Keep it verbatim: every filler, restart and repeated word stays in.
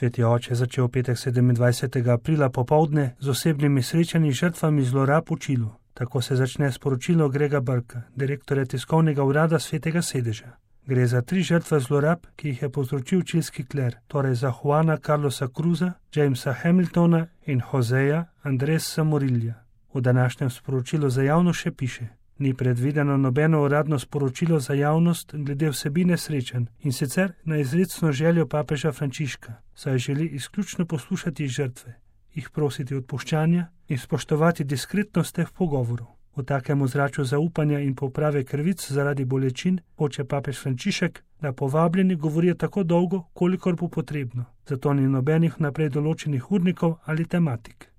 Sveti oče je začel petek sedemindvajsetega aprila popovdne z osebnimi srečanji žrtvami zlorab v Čilu. Tako se začne sporočilo Grega Burka, direktorja tiskovnega urada Svetega sedeža. Gre za tri žrtve zlorab, ki jih je povzročil čilski kler, torej za Juana Carlosa Cruza, Jamesa Hamiltona in Joseja Andresa Morilja. V današnjem sporočilu za javnost še piše: Ni predvideno nobeno uradno sporočilo za javnost glede vsebine srečanj, in sicer na izrecno željo papeža Frančiška, saj želi izključno poslušati žrtve, jih prositi odpuščanja in spoštovati diskretnost teh pogovorov. V takem ozračju zaupanja in poprave krivic zaradi bolečin hoče papež Frančišek, da povabljeni govorijo tako dolgo, kolikor bo potrebno, zato ni nobenih naprej določenih urnikov ali tematik.